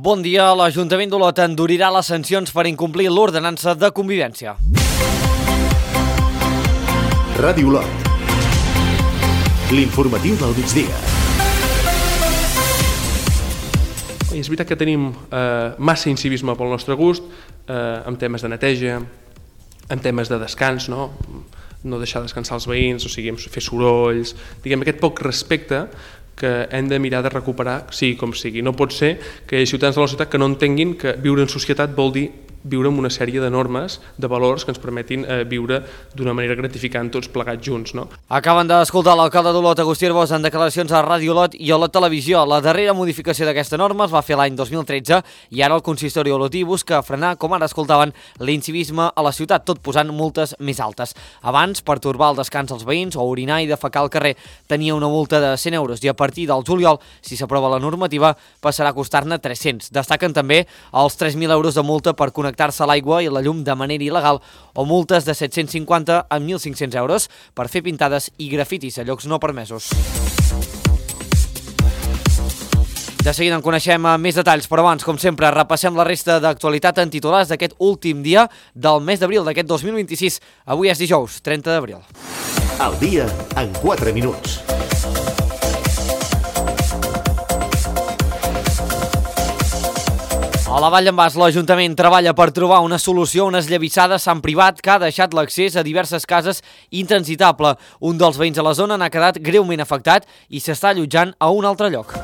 Bon dia. L'Ajuntament d'Olot endurirà les sancions per incomplir l'ordenança de convivència. Ràdio Olot. L'informatiu del migdia. És veritat que tenim massa incivisme pel nostre gust, en temes de neteja, en temes de descans, no deixar descansar els veïns, o sigui, fer sorolls, diguem, aquest poc respecte que hem de mirar de recuperar, sigui com sigui. No pot ser que hi hagi ciutadans de la ciutat que no entenguin que viure en societat vol dir viure amb una sèrie de normes, de valors que ens permetin viure d'una manera gratificant tots plegats junts. Acaben d'escoltar l'alcalde d'Olot, Agustí Arbós, en declaracions a Ràdio Olot i Olot Televisió. La darrera modificació d'aquesta norma es va fer l'any 2013 i ara el consistori olotí busca frenar, com ara escoltaven, l'incivisme a la ciutat, tot posant multes més altes. Abans, pertorbar el descans als veïns o orinar i defecar al carrer tenia una multa de 100 euros i a partir del juliol, si s'aprova la normativa, passarà a costar-ne 300. Destaquen també els 3.000 euros de multa per connectar-se a l'aigua i la llum de manera il·legal o multes de 750 a 1.500 euros per fer pintades i grafitis a llocs no permesos. De seguida en coneixem més detalls, però abans, com sempre, repassem la resta d'actualitat en titulars d'aquest últim dia del mes d'abril d'aquest 2026. Avui és dijous, 30 d'abril. El dia en 4 minuts. A la Vall d'en Bas, l'Ajuntament treballa per trobar una solució a una esllavissada a Sant Privat que ha deixat l'accés a diverses cases intransitable. Un dels veïns de la zona n'ha quedat greument afectat i s'està allotjant a un altre lloc.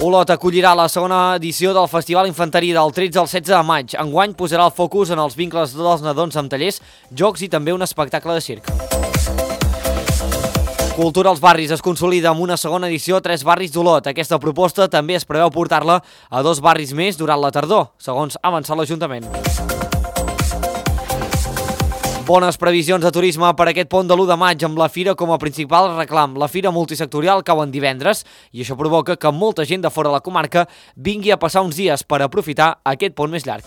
Olot acollirà la segona edició del Festival Infanterí del 13 al 16 de maig. Enguany posarà el focus en els vincles dels nadons amb tallers, jocs i també un espectacle de circ. Cultura als barris es consolida amb una segona edició a 3 barris d'Olot. Aquesta proposta també es preveu portar-la a 2 barris més durant la tardor, segons ha avançat l'Ajuntament. Bones previsions de turisme per aquest pont de l'1 de maig amb la fira com a principal reclam. La fira multisectorial cau en divendres i això provoca que molta gent de fora de la comarca vingui a passar uns dies per aprofitar aquest pont més llarg.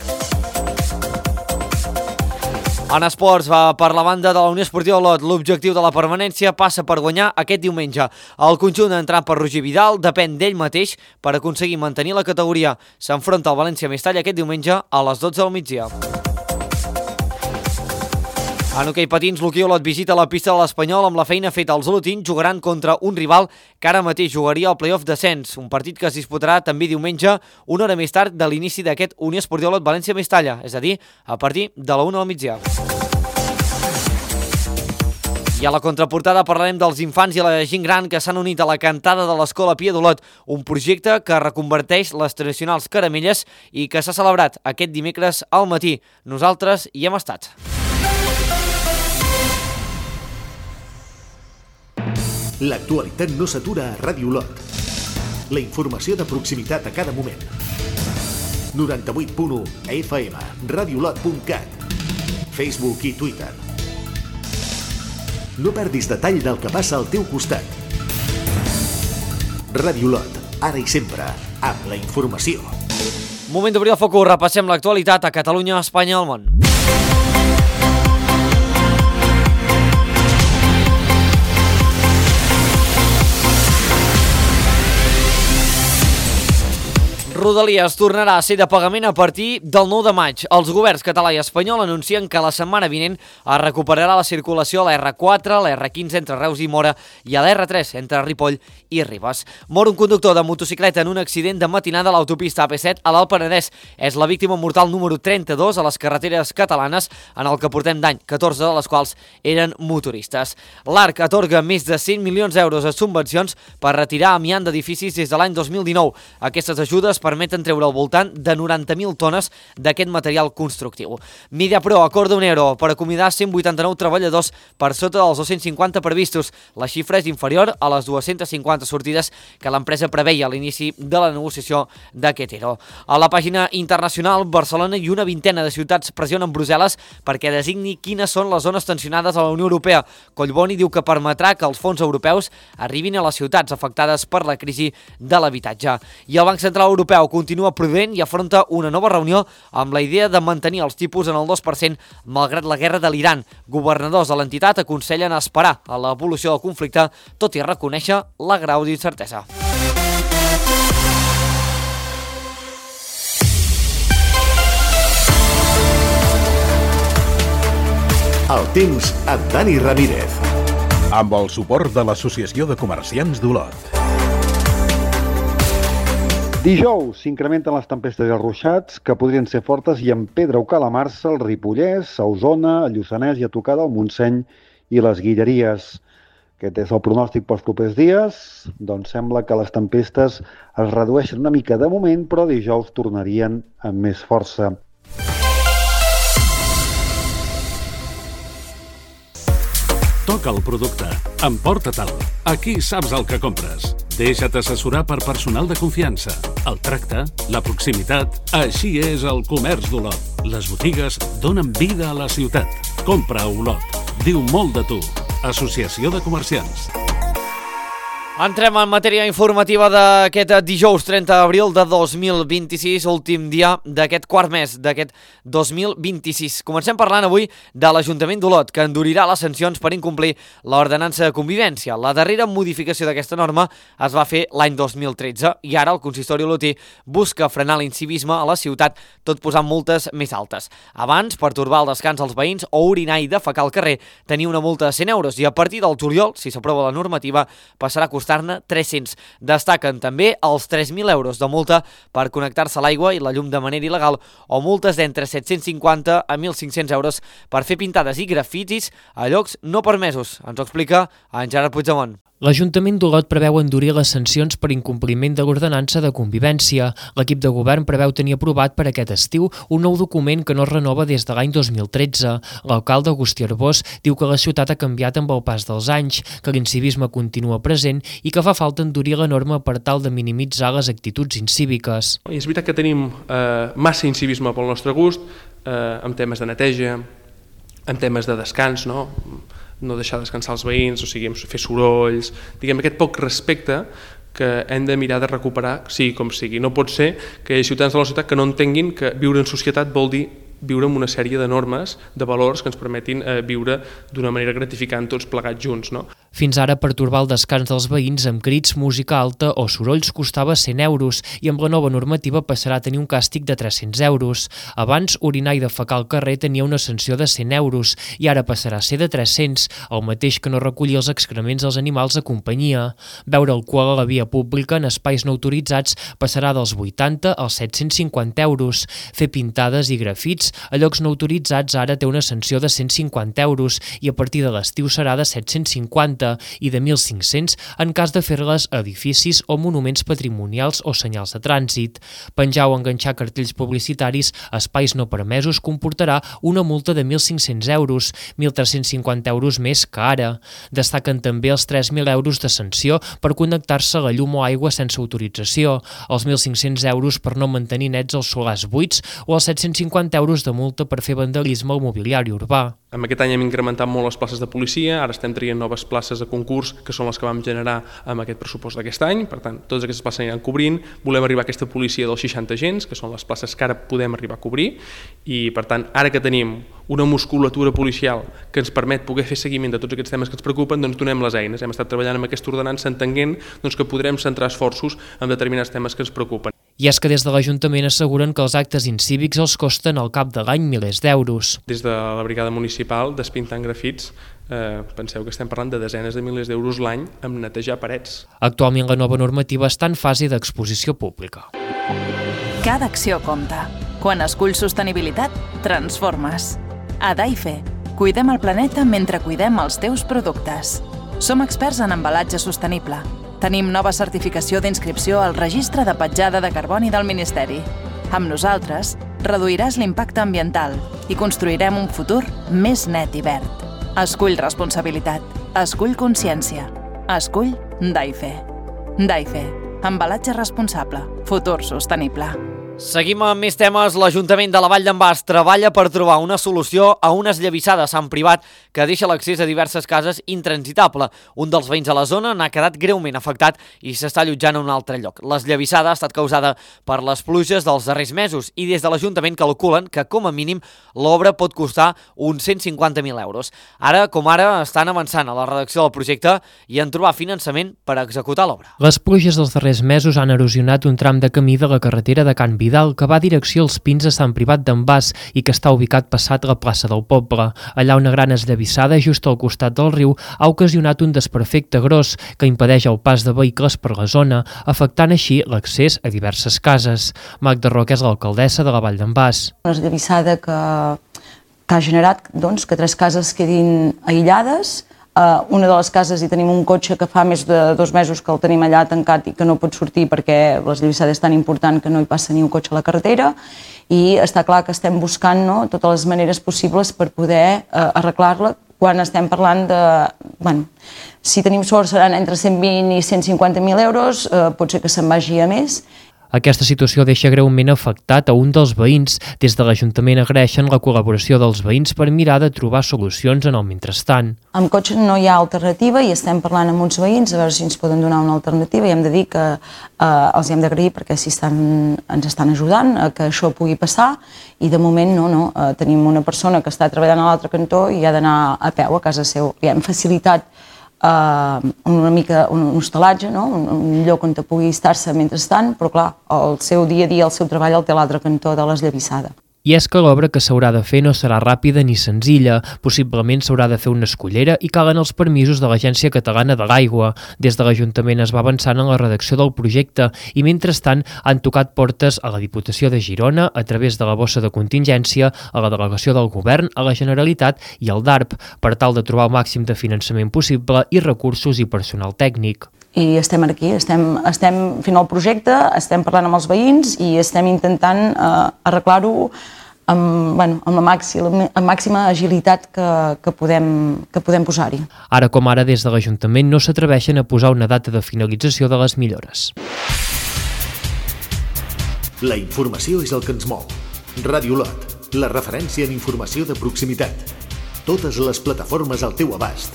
En esports, per la banda de la Unió Esportiva Olot, l'objectiu de la permanència passa per guanyar aquest diumenge. El conjunt entrat per Roger Vidal depèn d'ell mateix per aconseguir mantenir la categoria. S'enfronta al València Mestalla aquest diumenge a les 12 del migdia. En hoquei patins, l'Hoquei Olot visita la pista de l'Espanyol amb la feina feta. Els olotins jugaran contra un rival que ara mateix jugaria al play-off descens, un partit que es disputarà també diumenge, una hora més tard de l'inici d'aquest Unió Esportiva Olot València Mestalla, és a dir, a partir de la 1 del migdia. I a la contraportada parlarem dels infants i la gent gran que s'han unit a la cantada de l'Escola Pia d'Olot, un projecte que reconverteix les tradicionals caramelles i que s'ha celebrat aquest dimecres al matí. Nosaltres hi hem estat. L'actualitat no s'atura a Ràdio Olot. La informació de proximitat a cada moment. 98.1 FM, radioolot.cat, Facebook i Twitter. No perdis detall del que passa al teu costat. Ràdio Olot, ara i sempre, amb la informació. Moment d'obrir el focus, repassem l'actualitat a Catalunya, Espanya i al món. Rodalies tornarà a ser de pagament a partir del 9 de maig. Els governs català i espanyol anuncien que la setmana vinent es recuperarà la circulació a la R4, la R15 entre Reus i Móra i a la R3 entre Ripoll i Ribes. Mor un conductor de motocicleta en un accident de matinada a l'autopista AP7 a l'Alt Penedès. És la víctima mortal número 32 a les carreteres catalanes, en el que portem d'any, 14 de les quals eren motoristes. L'ARC atorga més de 100 milions d'euros a subvencions per retirar amiant d'edificis des de l'any 2019. Aquestes ajudes permeten treure al voltant de 90.000 tones d'aquest material constructiu. Mediapro acorda €1 per acomiadar 189 treballadors per sota dels 250 previstos. La xifra és inferior a les 250 sortides que l'empresa preveia a l'inici de la negociació d'aquest ERO. A la pàgina internacional, Barcelona i una vintena de ciutats pressionen Brussel·les perquè designi quines són les zones tensionades a la Unió Europea. Collboni diu que permetrà que els fons europeus arribin a les ciutats afectades per la crisi de l'habitatge. I el Banc Central Europeu continua prudent i afronta una nova reunió amb la idea de mantenir els tipus en el 2% malgrat la guerra de l'Iran. Governadors de l'entitat aconsellen esperar a l'evolució del conflicte, tot i reconèixer la grau d'incertesa. temps amb Dani Ramírez. Amb el suport de l'Associació de Comerciants d'Olot. Dijous s'incrementen les tempestes i els ruixats, que podrien ser fortes i en Pedra o Calamarsa, al Ripollès, a Osona, a Lluçanès i a tocar del Montseny i les Guilleries. Aquest és el pronòstic pels propers dies. Doncs sembla que les tempestes es redueixen una mica de moment, però dijous tornarien amb més força. Toca el producte, emporta-te'l. Aquí saps el que compres. Deixa't assessorar per personal de confiança. El tracte, la proximitat, així és el comerç d'Olot. Les botigues donen vida a la ciutat. Compra a Olot. Diu molt de tu. Associació de Comerciants. Entrem en matèria informativa d'aquest dijous 30 d'abril de 2026, últim dia d'aquest quart mes d'aquest 2026. Comencem parlant avui de l'Ajuntament d'Olot, que endurirà les sancions per incomplir l'ordenança de convivència. La darrera modificació d'aquesta norma es va fer l'any 2013 i ara el consistori olotí busca frenar l'incivisme a la ciutat, tot posant multes més altes. Abans, pertorbar el descans als veïns o orinar i defecar al carrer tenia una multa de 100 euros i a partir del juliol, si s'aprova la normativa, passarà a costar-ne 300. Destaquen també els 3.000 euros de multa per connectar-se a l'aigua i la llum de manera il·legal o multes d'entre 750 a 1.500 euros per fer pintades i grafitis a llocs no permesos. Ens ho explica en Gerard Puigdemont. L'Ajuntament d'Olot preveu endurir les sancions per incompliment de l'ordenança de convivència. L'equip de govern preveu tenir aprovat per aquest estiu un nou document que no es renova des de l'any 2013. L'alcalde Agustí Arbós diu que la ciutat ha canviat amb el pas dels anys, que l'incivisme continua present i que fa falta endurir la norma per tal de minimitzar les actituds incíviques. És veritat que tenim massa incivisme pel nostre gust, en temes de neteja, en temes de descans, no deixar descansar els veïns, o sigui, fer sorolls, diguem, aquest poc respecte que hem de mirar de recuperar, sigui com sigui. No pot ser que hi hagi ciutadans de la ciutat que no entenguin que viure en societat vol dir viure amb una sèrie de normes, de valors que ens permetin viure d'una manera gratificant tots plegats junts. Fins ara, pertorbar el descans dels veïns amb crits, música alta o sorolls costava 100 euros i amb la nova normativa passarà a tenir un càstig de 300 euros. Abans, orinar i defecar al carrer tenia una sanció de 100 euros i ara passarà a ser de 300, el mateix que no recollir els excrements dels animals de companyia. Beure alcohol a la via pública en espais no autoritzats passarà dels 80 als 750 euros. Fer pintades i grafits a llocs no autoritzats ara té una sanció de 150 euros i a partir de l'estiu serà de 750 i de 1.500 en cas de fer-les a edificis o monuments patrimonials o senyals de trànsit. Penjar o enganxar cartells publicitaris a espais no permesos comportarà una multa de 1.500 euros, 1.350 euros més que ara. Destaquen també els 3.000 euros de sanció per connectar-se a la llum o aigua sense autorització, els 1.500 euros per no mantenir nets els solars buits o els 750 euros de multa per fer vandalisme al mobiliari urbà. En aquest any hem incrementat molt les places de policia, ara estem traient noves places de concurs, que són les que vam generar amb aquest pressupost d'aquest any, per tant, totes aquestes places aniran cobrint, volem arribar a aquesta policia dels 60 agents, que són les places que ara podem arribar a cobrir, i per tant, ara que tenim una musculatura policial que ens permet poder fer seguiment de tots aquests temes que ens preocupen, doncs donem les eines. Hem estat treballant amb aquesta ordenança entenent que podrem centrar esforços en determinats temes que ens preocupen. I és que des de l'Ajuntament asseguren que els actes incívics els costen al cap de l'any milers d'euros. Des de la brigada municipal, despintant grafits, penseu que estem parlant de desenes de milers d'euros l'any amb netejar parets. Actualment la nova normativa està en fase d'exposició pública. Cada acció compta. Quan esculls sostenibilitat, transformes. A Daife, cuidem el planeta mentre cuidem els teus productes. Som experts en embalatge sostenible. Tenim nova certificació d'inscripció al Registre de Petjada de Carboni del Ministeri. Amb nosaltres, reduiràs l'impacte ambiental i construirem un futur més net i verd. Escull responsabilitat. Escull consciència. Escull Daife. Daife. Embalatge responsable. Futur sostenible. Seguim amb més temes. L'Ajuntament de la Vall d'en Bas treballa per trobar una solució a unes llavissades en privat que deixa l'accés a diverses cases intransitable. Un dels veïns a la zona n'ha quedat greument afectat i s'està allotjant a un altre lloc. L'esllavissada ha estat causada per les pluges dels darrers mesos i des de l'Ajuntament calculen que, com a mínim, l'obra pot costar uns 150.000 euros. Ara estan avançant a la redacció del projecte i en trobar finançament per executar l'obra. Les pluges dels darrers mesos han erosionat un tram de camí de la carretera de Can Vidal Vidal, que va a direcció als Pins a Sant Privat d'en Bas i que està ubicat passat la plaça del poble. Allà una gran esllavissada just al costat del riu ha ocasionat un desperfecte gros que impedeix el pas de vehicles per la zona, afectant així l'accés a diverses cases. Magda Roca és l'alcaldessa de la Vall d'en Bas. Una esllavissada que ha generat que 3 cases quedin aïllades. Una de les cases hi tenim un cotxe que fa més de 2 mesos que el tenim allà tancat i que no pot sortir perquè l'esllavissada és tan important que no hi passa ni un cotxe a la carretera, i està clar que estem buscant totes les maneres possibles per poder arreglar-la quan estem parlant de... si tenim sort seran entre 120 i 150.000 euros, pot ser que se'n vagi a més. Aquesta situació deixa greument afectat a un dels veïns. Des de l'Ajuntament agraeixen la col·laboració dels veïns per mirar de trobar solucions en el mentrestant. Amb cotxe no hi ha alternativa i estem parlant amb uns veïns a veure si ens poden donar una alternativa, i hem de dir que els hem d'agrair perquè ens estan ajudant a que això pugui passar, i de moment tenim una persona que està treballant a l'altre cantó i ha d'anar a peu a casa seu. Li hem facilitat una mica un hostalatge, un lloc on pugui estar-se mentrestant, però clar, el seu dia a dia, el seu treball el té a l'altre cantó de l'esllavissada. I és que l'obra que s'haurà de fer no serà ràpida ni senzilla. Possiblement s'haurà de fer una escullera i calen els permisos de l'Agència Catalana de l'Aigua. Des de l'Ajuntament es va avançant en la redacció del projecte i, mentrestant, han tocat portes a la Diputació de Girona a través de la bossa de contingència, a la delegació del Govern, a la Generalitat i al DARP, per tal de trobar el màxim de finançament possible i recursos i personal tècnic. I estem aquí, estem fent el projecte, estem parlant amb els veïns i estem intentant arreglar-ho amb la màxima agilitat que podem posar-hi. Ara com ara, des de l'Ajuntament no s'atreveixen a posar una data de finalització de les millores. La informació és el que ens mou. Ràdio Lot, la referència en informació de proximitat. Totes les plataformes al teu abast.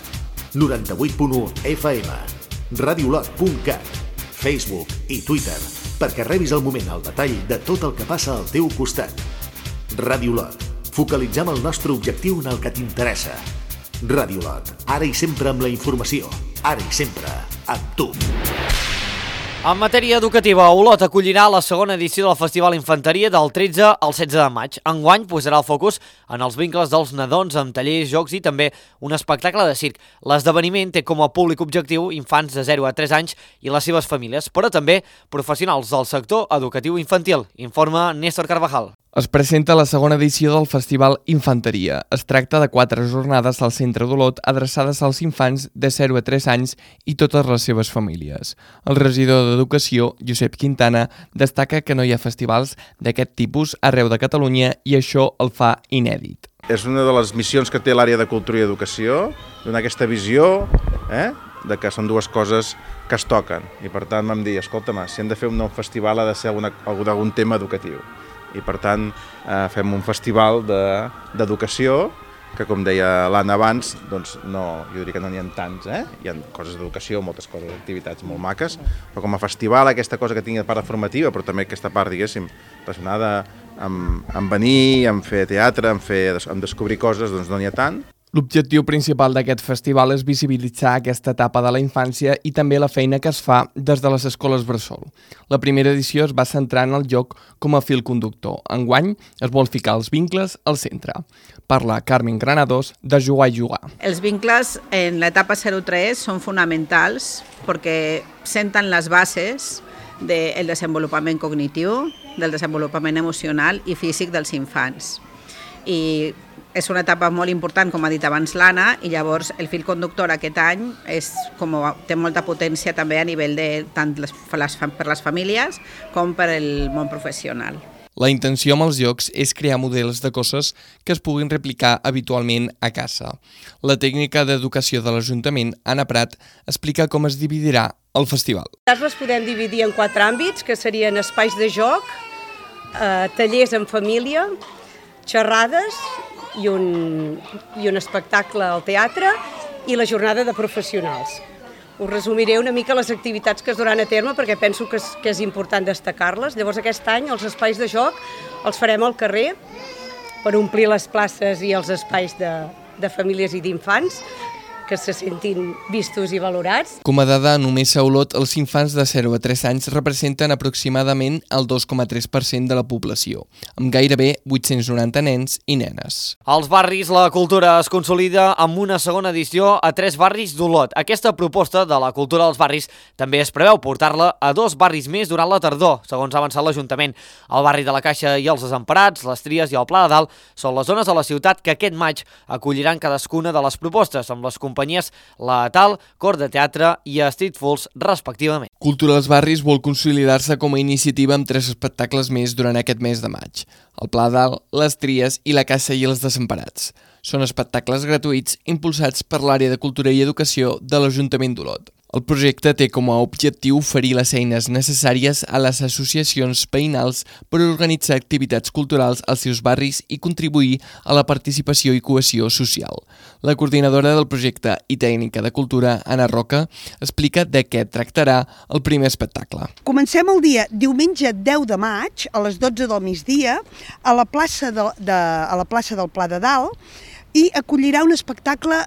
98.1 FM. radiolot.cat, Facebook i Twitter, perquè rebis al moment el detall de tot el que passa al teu costat. Ràdio Lot, focalitzem el nostre objectiu en el que t'interessa. Ràdio Lot, ara i sempre amb la informació, ara i sempre amb tu. En matèria educativa, Olot acollirà la segona edició del Festival Infanteria del 13 al 16 de maig. Enguany posarà el focus en els vincles dels nadons amb tallers, jocs i també un espectacle de circ. L'esdeveniment té com a públic objectiu infants de 0 a 3 anys i les seves famílies, però també professionals del sector educatiu infantil, informa Néstor Carvajal. Es presenta la segona edició del Festival Infanteria. Es tracta de 4 jornades al centre d'Olot adreçades als infants de 0 a 3 anys i totes les seves famílies. El regidor d'Educació, Josep Quintana, destaca que no hi ha festivals d'aquest tipus arreu de Catalunya i això el fa inèdit. És una de les missions que té l'àrea de Cultura i Educació, donar aquesta visió de que són dues coses que es toquen. I per tant vam dir, escolta'm, si hem de fer un nou festival ha de ser algun tema educatiu. I per tant fem un festival d'educació que, com deia l'Anna abans, doncs jo diria que no n'hi ha tants, hi ha coses d'educació, moltes coses, activitats molt maques, però com a festival aquesta cosa que tingui part formativa, però també aquesta part, diguéssim, relacionada amb venir, amb fer teatre, amb descobrir coses, doncs no n'hi ha tant. L'objectiu principal d'aquest festival és visibilitzar aquesta etapa de la infància i també la feina que es fa des de les escoles bressol. La primera edició es va centrar en el joc com a fil conductor. Enguany es vol ficar els vincles al centre. Parla Carmen Granados de Jugar i Jugar. Els vincles en l'etapa 0-3 són fonamentals perquè senten les bases del desenvolupament cognitiu, del desenvolupament emocional i físic dels infants. I és una etapa molt important, com ha dit abans l'Anna, i llavors el fil conductor aquest any té molta potència també a nivell tant per les famílies com per el món professional. La intenció amb els jocs és crear models de coses que es puguin replicar habitualment a casa. La tècnica d'educació de l'Ajuntament, Anna Prat, explica com es dividirà el festival. Les podem dividir en 4 àmbits, que serien espais de joc, tallers en família, xerrades i un espectacle al teatre i la jornada de professionals. Us resumiré una mica les activitats que es duran a terme perquè penso que és important destacar-les. Llavors aquest any els espais de joc els farem al carrer per omplir les places i els espais de famílies i d'infants. que se sentin vistos i valorats. Com a dada, només a Olot els infants de 0 a 3 anys representen aproximadament el 2,3% de la població, amb gairebé 890 nens i nenes. Als barris, la cultura es consolida amb una segona edició a 3 barris d'Olot. Aquesta proposta de la cultura dels barris també es preveu portar-la a 2 barris més durant la tardor, segons ha avançat l'Ajuntament. El barri de la Caixa i els Desemparats, les Tries i el Pla de Dalt són les zones de la ciutat que aquest maig acolliran cadascuna de les propostes, amb les companyies La Atal, Cor de Teatre i Street Fools, respectivament. Cultura als barris vol consolidar-se com a iniciativa amb 3 espectacles més durant aquest mes de maig. El Pla de Dalt, les Tries i la Caixa i els Desemparats. Són espectacles gratuïts impulsats per l'àrea de Cultura i Educació de l'Ajuntament d'Olot. El projecte té com a objectiu oferir les eines necessàries a les associacions veïnals per organitzar activitats culturals als seus barris i contribuir a la participació i cohesió social. La coordinadora del projecte i tècnica de cultura, Anna Roca, explica de què tractarà el primer espectacle. Comencem el dia diumenge 10 de maig a les 12 del migdia a la plaça del Pla de Dalt, i acollirà un espectacle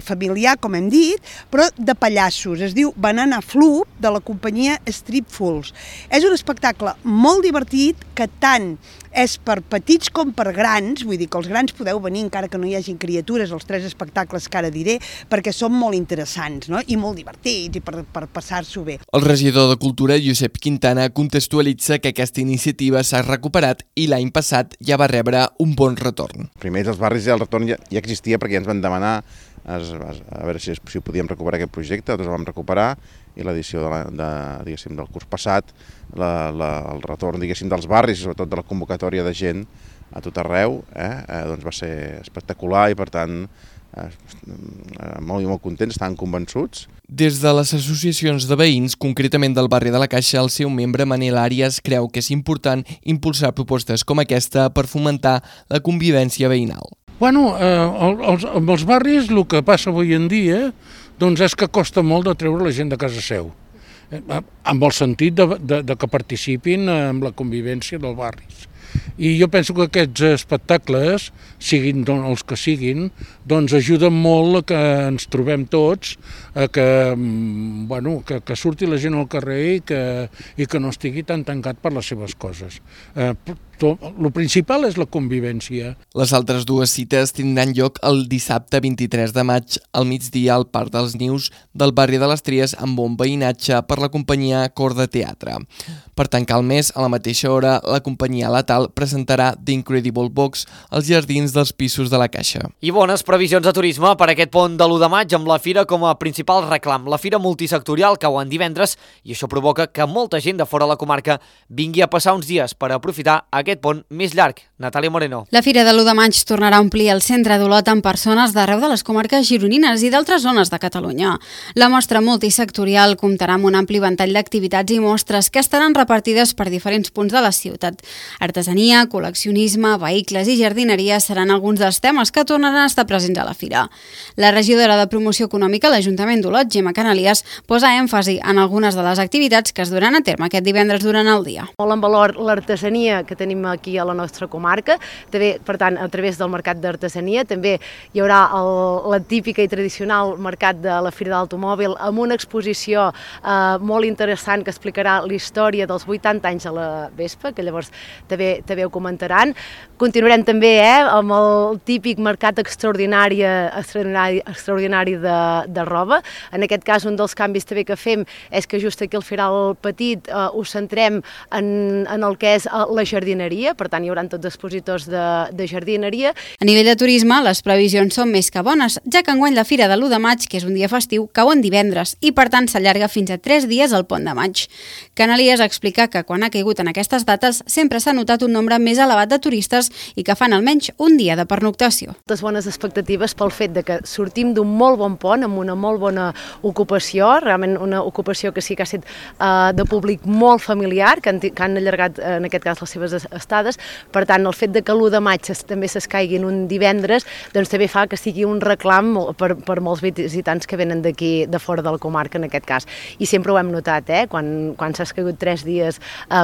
familiar, com hem dit, però de pallassos. Es diu Banana Floop, de la companyia Street Fools. És un espectacle molt divertit, que tant és per petits com per grans, vull dir que els grans podeu venir encara que no hi hagin criatures, els 3 espectacles que ara diré, perquè són molt interessants, no? I molt divertits, i per passar-s'ho bé. El regidor de Cultura, Josep Quintana, contextualitza que aquesta iniciativa s'ha recuperat i l'any passat ja va rebre un bon retorn. Primer, els barris ja el retorn ja existia perquè ja ens van demanar a veure si podíem recuperar aquest projecte, nosaltres el vam recuperar i l'edició del curs passat, el retorn dels barris i sobretot de la convocatòria de gent a tot arreu doncs va ser espectacular i per tant molt contents, estan convençuts. Des de les associacions de veïns, concretament del barri de la Caixa, el seu membre Manel Àrias creu que és important impulsar propostes com aquesta per fomentar la convivència veïnal. Bueno, amb els barris el que passa avui en dia doncs és que costa molt de treure la gent de casa seu, amb el sentit de que participin en la convivència dels barris. I jo penso que aquests espectacles, siguin els que siguin, doncs ajuden molt a que ens trobem tots, que surti la gent al carrer i que no estigui tan tancat per les seves coses. El principal és la convivència. Les altres 2 cites tindran lloc el dissabte 23 de maig al migdia al Parc dels Nius del barri de les Tries amb bon veïnatge per la companyia Cor de Teatre. Per tancar el mes, a la mateixa hora, la companyia La Atal presentarà The Incredible Box als jardins dels pisos de la Caixa. I bones previsions de turisme per aquest pont de l'1 de maig amb la fira com a principal reclam. La fira multisectorial cau en divendres i això provoca que molta gent de fora de la comarca vingui a passar uns dies per aprofitar aquest pont més llarg. Natàlia Moreno. La fira de l'1 de maig tornarà a omplir el centre d'Olot amb persones d'arreu de les comarques gironines i d'altres zones de Catalunya. La mostra multisectorial comptarà amb un ampli ventall d'activitats i mostres que estaran repartides per diferents punts de la ciutat. Artesania, col·leccionisme, vehicles i jardineria seran alguns dels temes que tornaran a estar presents a la fira. La regidora de Promoció Econòmica a l'Ajuntament d'Olot, Gemma Canalies, posa èmfasi en algunes de les activitats que es duran a terme aquest divendres durant el dia. Molt en valor l'artesania que tenim aquí a la nostra comarca, també, per tant, a través del mercat d'artesania, també hi haurà la típica i tradicional mercat de la Fira de l'Automòbil amb una exposició molt interessant que explicarà la història dels 80 anys de la Vespa, que llavors també ho comentaran. Continuarem també amb el típic mercat extraordinari de roba. En aquest cas, un dels canvis també que fem és que just aquí al Firal Petit ho centrem en el que és la jardineria, per tant hi haurà tots expositors de jardineria. A nivell de turisme, les previsions són més que bones, ja que enguany la Fira de l'1 de maig, que és un dia festiu, cau en divendres i per tant s'allarga fins a 3 dies al pont de maig. Canalies explica que quan ha caigut en aquestes dates sempre s'ha notat un nombre més elevat de turistes i que fan almenys un dia de pernoctació. Moltes bones expectatives pel fet de que sortim d'un molt bon pont amb una molt bona ocupació, realment una ocupació que sí que ha estat de públic molt familiar, que han allargat en aquest cas les seves estades. Per tant, el fet de que l'1 de maig també s'escaigui en un divendres, doncs també fa que sigui un reclam per molts visitants que venen d'aquí, de fora de la comarca en aquest cas. I sempre ho hem notat, quan s'ha escaigut 3 dies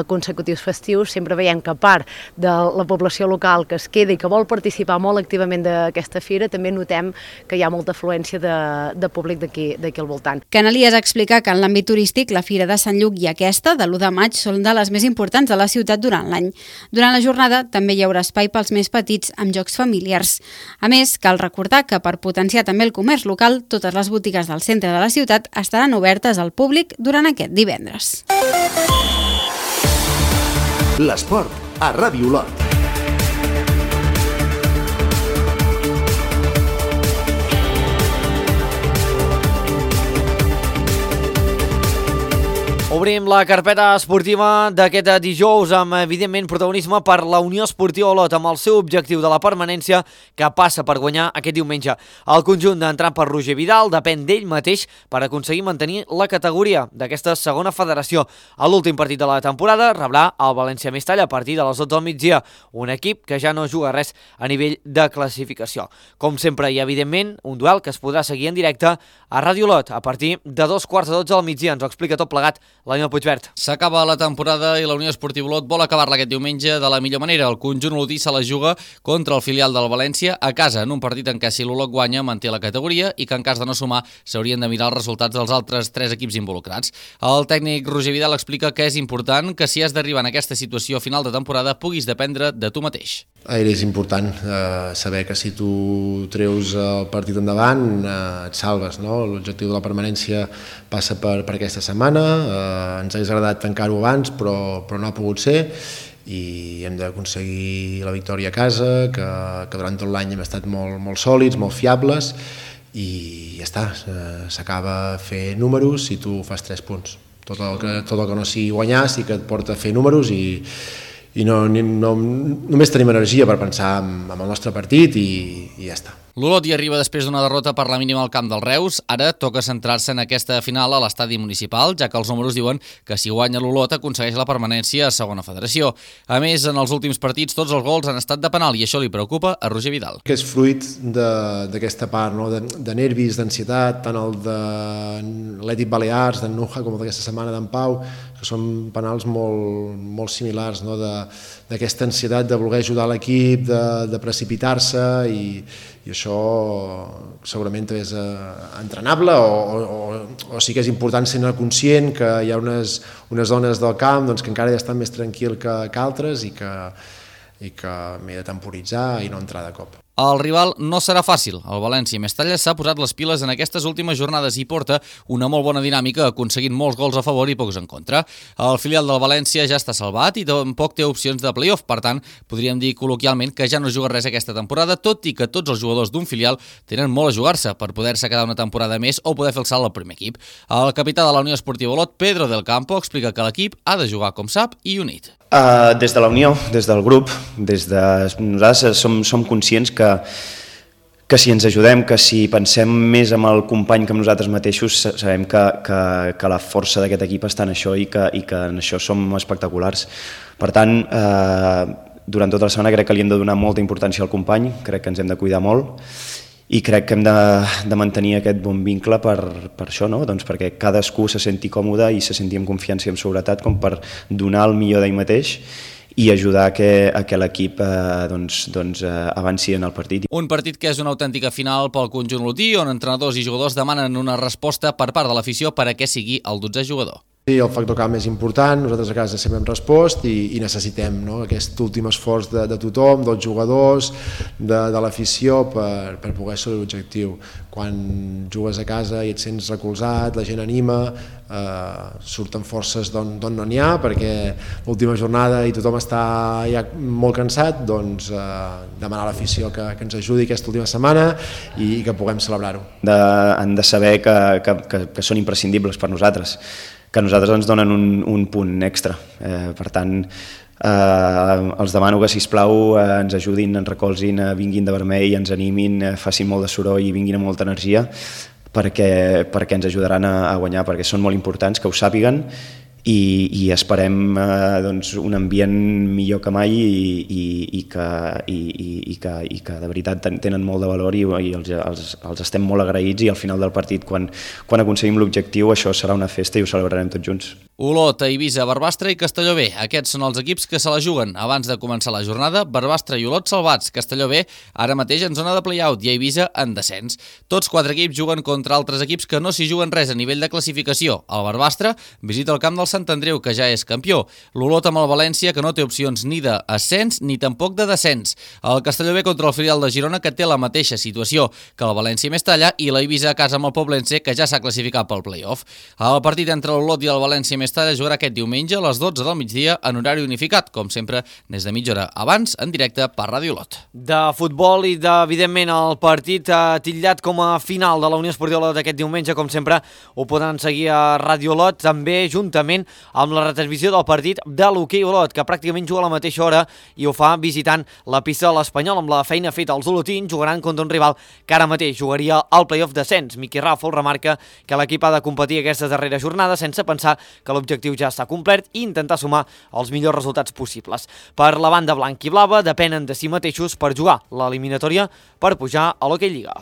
consecutius festius, sempre veiem que a part de la població local que es queda i que vol participar molt activament d'aquesta fira, també notem que hi ha molta afluència de públic d'aquí al voltant. Canalies explica que en l'àmbit turístic la Fira de Sant Lluc i aquesta, de l'1 de maig, són de les més importants de la ciutat durant l'any. Durant la jornada també hi haurà espai pels més petits amb jocs familiars. A més, cal recordar que per potenciar també el comerç local, totes les botigues del centre de la ciutat estaran obertes al públic durant aquest divendres. L'esport a Ràdio Olot. Obrim la carpeta esportiva d'aquest dijous amb, evidentment, protagonisme per la Unió Esportiva Olot amb el seu objectiu de la permanència que passa per guanyar aquest diumenge. El conjunt d'entrat per Roger Vidal depèn d'ell mateix per aconseguir mantenir la categoria d'aquesta segona federació. A l'últim partit de la temporada rebrà el València Mestalla a partir de les 12 del migdia, un equip que ja no juga res a nivell de classificació. Com sempre i, evidentment, un duel que es podrà seguir en directe a Ràdio Olot a partir de 2:15 del migdia. Ens ho explica tot plegat l'Aniol Puigvert. S'acaba la temporada i la Unió Esportiva Olot vol acabar-la aquest diumenge de la millor manera. El conjunt olotí se la juga contra el filial del València a casa, en un partit en què si l'Olot guanya manté la categoria i que en cas de no sumar s'haurien de mirar els resultats dels altres 3 equips involucrats. El tècnic Roger Vidal explica que és important que si has d'arribar en aquesta situació a final de temporada puguis dependre de tu mateix. És important saber que si tu treus el partit endavant et salves, no? L'objectiu de la permanència passa per aquesta setmana. Ens hauria agradat tancar-ho abans, però no ha pogut ser i hem d'aconseguir la victòria a casa, que durant tot l'any hem estat molt sòlids, molt fiables i ja està, s'acaba fer números si tu fas 3 punts. Tot el que no sigui guanyar sí que et porta a fer números i només tenim energia per pensar en el nostre partit i ja està. L'Olot hi arriba després d'una derrota per la mínima al camp del Reus. Ara toca centrar-se en aquesta final a l'estadi municipal, ja que els números diuen que si guanya l'Olot aconsegueix la permanència a segona federació. A més, en els últims partits tots els gols han estat de penal i això li preocupa a Roger Vidal. Que és fruit d'aquesta part, no? de nervis, d'ansietat, tant el de l'Atlètic Balears, d'en Nuja, com d'aquesta setmana d'en Pau, que són penals molt similars, no? D'aquesta ansietat de voler ajudar l'equip, de precipitar-se i això segurament també és entrenable o sí que és important ser conscient que hi ha unes zones del camp que encara ja estan més tranquil que altres i que m'he de temporitzar i no entrar de cop. El rival no serà fàcil. El València Mestalla s'ha posat les piles en aquestes últimes jornades i porta una molt bona dinàmica, aconseguint molts gols a favor i pocs en contra. El filial del València ja està salvat i tampoc té opcions de play-off, per tant, podríem dir col·loquialment que ja no juga res aquesta temporada, tot i que tots els jugadors d'un filial tenen molt a jugar-se per poder-se quedar una temporada més o poder fer el salt al primer equip. El capità de la Unió Esportiva Olot, Pedro del Campo, explica que l'equip ha de jugar com sap i unit. Des de la Unió, des del grup, nosaltres som conscients que si ens ajudem, que si pensem més en el company que en nosaltres mateixos, sabem que la força d'aquest equip està en això i que en això som espectaculars. Per tant, durant tota la setmana crec que li hem de donar molta importància al company, crec que ens hem de cuidar molt i crec que hem de mantenir aquest bon vincle per això, no? Doncs perquè cadascú se senti còmode i se senti amb confiança i amb seguretat com per donar el millor d'ell mateix i ajudar a que l'equip avanci en el partit. Un partit que és una autèntica final pel conjunt olotí, on entrenadors i jugadors demanen una resposta per part de l'afició per a què sigui el 12è jugador. Sí, el factor camp és important, nosaltres a casa sempre hem respost i necessitem, no? Aquest últim esforç de tothom, dels jugadors, de l'afició per poder assolir l'objectiu. Quan jugues a casa i et sents recolzat, la gent anima, surten forces d'on no n'hi ha, perquè l'última jornada i tothom està ja molt cansat, doncs demanar a l'afició que ens ajudi aquesta última setmana i que puguem celebrar-ho. Han de saber que són imprescindibles per nosaltres, que a nosaltres ens donen un punt extra. Per tant, els demano que, sisplau, ens ajudin, ens recolzin, vinguin de vermell, ens animin, facin molt de soroll i vinguin amb molta energia perquè ens ajudaran a guanyar, perquè són molt importants, que ho sàpiguen i esperem un ambient millor que mai i que de veritat tenen molt de valor i els estem molt agraïts, i al final del partit, quan aconseguim l'objectiu, això serà una festa i ho celebrarem tots junts. Olot, Eivissa, Barbastre i Castelló B. Aquests són els equips que se la juguen abans de començar la jornada. Barbastre i Olot salvats, Castelló B ara mateix en zona de play-out i Eivissa en descens. Tots 4 equips juguen contra altres equips que no s'hi juguen res a nivell de classificació. El Barbastre visita el camp del Sant Andreu, que ja és campió. L'Olot amb el València, que no té opcions ni d'ascens ni tampoc de descens. El Castelló B contra el filial de Girona, que té la mateixa situació que el València i Mestalla, i l'Eivissa a casa amb el Poblense, que ja s'ha classificat pel play-off. El partit entre l'Olot i el València i Mestalla jugarà aquest diumenge a les 12 del migdia en horari unificat, com sempre, des de mitja hora abans, en directe per Ràdio Olot. De futbol i evidentment el partit titllat com a final de la Unió Esportiva Olot aquest diumenge, com sempre, ho poden seguir a Ràdio Olot, també juntament amb la retransmissió del partit de l'Hoquei Olot, que pràcticament juga a la mateixa hora i ho fa visitant la pista de l'Espanyol. Amb la feina feta, els olotins jugaran contra un rival que ara mateix jugaria al play-off descens. Miqui Ràfol remarca que l'equip ha de competir aquestes darreres jornades sense pensar que l'objectiu ja està complet i intentar sumar els millors resultats possibles. Per la banda blanc i blava depenen de si mateixos per jugar l'eliminatòria per pujar a l'Hoquei Lliga.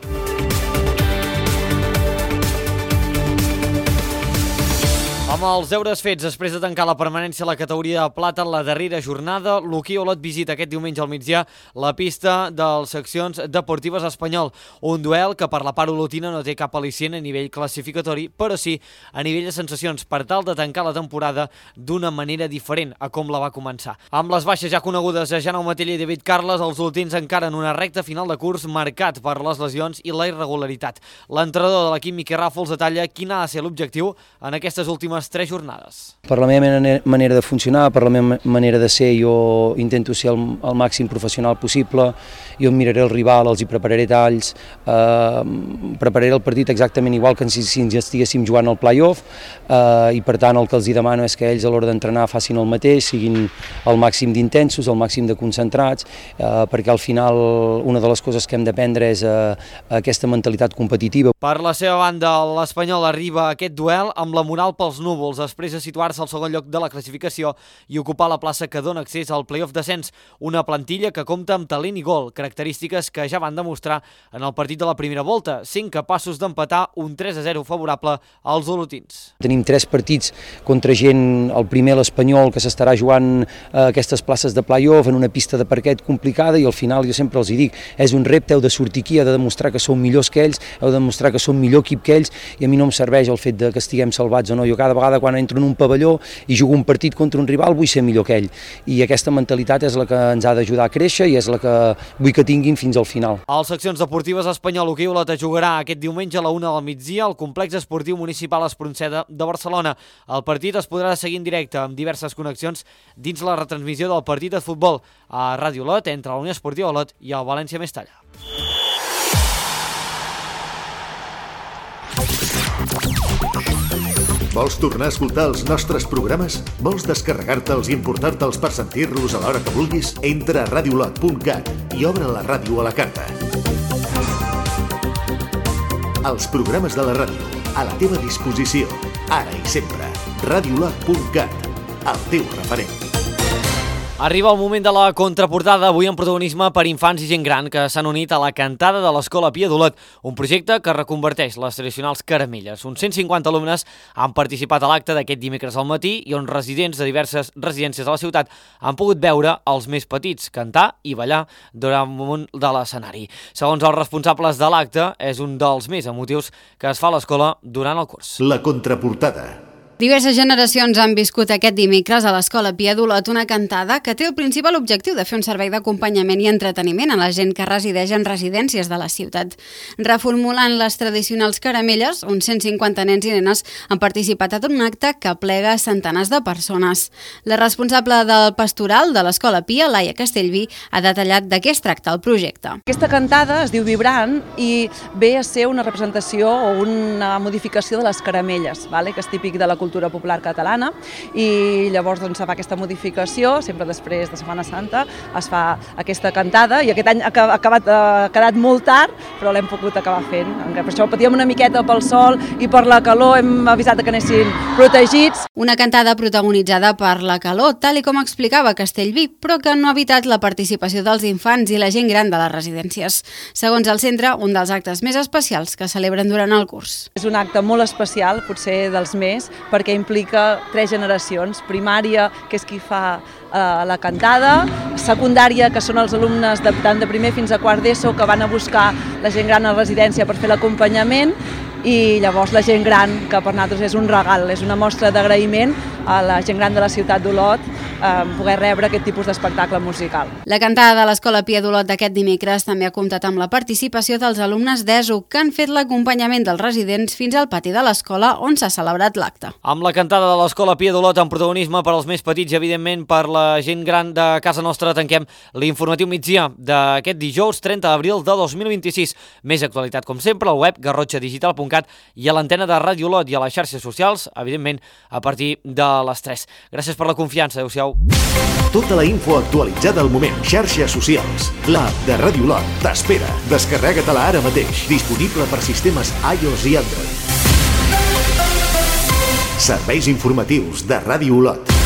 Amb els deures fets després de tancar la permanència a la categoria de plata en la darrera jornada, l'Hoquei Olot visita aquest diumenge al migdia la pista dels seccions deportives Espanyol. Un duel que per la part olotina no té cap al·licient a nivell classificatori, però sí a nivell de sensacions, per tal de tancar la temporada d'una manera diferent a com la va començar. Amb les baixes ja conegudes a Jaume Matella i David Carles, els olotins encara en una recta final de curs marcat per les lesions i la irregularitat. L'entrenador de l'equip, Miqui Ràfols, detalla quin ha de ser l'objectiu en aquestes últimes 3 jornades. Per la meva manera de funcionar, per la meva manera de ser, jo intento ser el màxim professional possible, jo miraré el rival, els hi prepararé talls, prepararé el partit exactament igual que si ens estiguéssim jugant al play-off, i per tant el que els hi demano és que ells a l'hora d'entrenar facin el mateix, siguin el màxim d'intensos, el màxim de concentrats, perquè al final una de les coses que hem d'aprendre és aquesta mentalitat competitiva. Per la seva banda, l'Espanyol arriba a aquest duel amb la moral pels núvols, després de situar-se al segon lloc de la classificació i ocupar la plaça que dona accés al play-off descens, una plantilla que compta amb talent i gol, característiques que ja van demostrar en el partit de la primera volta, sent capaços d'empatar un 3-0 favorable als olotins. Tenim 3 partits contra gent, el primer l'Espanyol, que s'estarà jugant aquestes places de play-off en una pista de parquet complicada, i al final jo sempre els hi dic, és un repte, heu de sortir aquí, heu de demostrar que sou millors que ells, heu de demostrar que som millor equip que ells, i a mi no em serveix el fet de que estiguem salvats o no. Jo cada vegada quan entro en un pavelló i jugo un partit contra un rival vull ser millor que ell, i aquesta mentalitat és la que ens ha d'ajudar a créixer i és la que vull que tinguin fins al final. Els seccions deportives Espanyol Hoquei Olot jugarà aquest diumenge a la 1 del migdia al complex esportiu municipal Espronceda de Barcelona. El partit es podrà seguir en directe amb diverses connexions dins la retransmissió del partit de futbol a Ràdio Olot entre la Unió Esportiva Olot i el València Mestalla. Vols tornar a escoltar els nostres programes? Vols descarregar-te'ls i importar-te'ls per sentir-los a l'hora que vulguis? Entra a radiolot.cat i obre la ràdio a la carta. Els programes de la ràdio, a la teva disposició, ara i sempre. radiolot.cat, el teu referent. Arriba el moment de la contraportada, avui amb protagonisme per infants i gent gran que s'han unit a la cantada de l'Escola Pia d'Olot, un projecte que reconverteix les tradicionals caramelles. Uns 150 alumnes han participat a l'acte d'aquest dimecres al matí i on residents de diverses residències de la ciutat han pogut veure els més petits cantar i ballar damunt de l'escenari. Segons els responsables de l'acte, és un dels més emotius que es fa a l'escola durant el curs. La contraportada. Diverses generacions han viscut aquest dimecres a l'Escola Pia d'Olot una cantada que té el principal objectiu de fer un servei d'acompanyament i entreteniment a la gent que resideix en residències de la ciutat. Reformulant les tradicionals caramelles, uns 150 nens i nenes han participat en un acte que plega centenars de persones. La responsable del pastoral de l'Escola Pia, Laia Castellví, ha detallat de què es tracta el projecte. Aquesta cantada es diu Vibrant i ve a ser una representació o una modificació de les caramelles, que és típic de la cultura cultura popular catalana, i llavors doncs, se fa aquesta modificació, sempre després de Setmana Santa es fa aquesta cantada, i aquest any ha quedat molt tard, però l'hem pogut acabar fent. Per això patíem una miqueta pel sol i per la calor, hem avisat que anessin protegits. Una cantada protagonitzada per la calor, tal i com explicava Castellví, però que no ha evitat la participació dels infants i la gent gran de les residències. Segons el centre, un dels actes més especials que celebren durant el curs. És un acte molt especial, potser dels més, perquè implica 3 generacions. Primària, que és qui fa la cantada, secundària, que són els alumnes tant de primer fins a quart d'ESO que van a buscar la gent gran a la residència per fer l'acompanyament, i llavors la gent gran, que per nosaltres és un regal, és una mostra d'agraïment a la gent gran de la ciutat d'Olot poder rebre aquest tipus d'espectacle musical. La cantada de l'Escola Pia d'Olot d'aquest dimecres també ha comptat amb la participació dels alumnes d'ESO, que han fet l'acompanyament dels residents fins al pati de l'escola on s'ha celebrat l'acte. Amb la cantada de l'Escola Pia d'Olot en protagonisme per als més petits i, evidentment, per la gent gran de casa nostra, tanquem l'informatiu migdia d'aquest dijous 30 d'abril de 2026. Més actualitat, com sempre, al web garrotxadigital.cat i a l'antena de Ràdio Olot i a les xarxes socials, evidentment, a partir de les 3. Gràcies per la confiança. Adéu-siau. Tota la info actualitzada al moment. Xarxes socials. L'app de Ràdio Olot t'espera. Descarrega-te-la ara mateix. Disponible per sistemes iOS i Android. Serveis informatius de Ràdio Olot.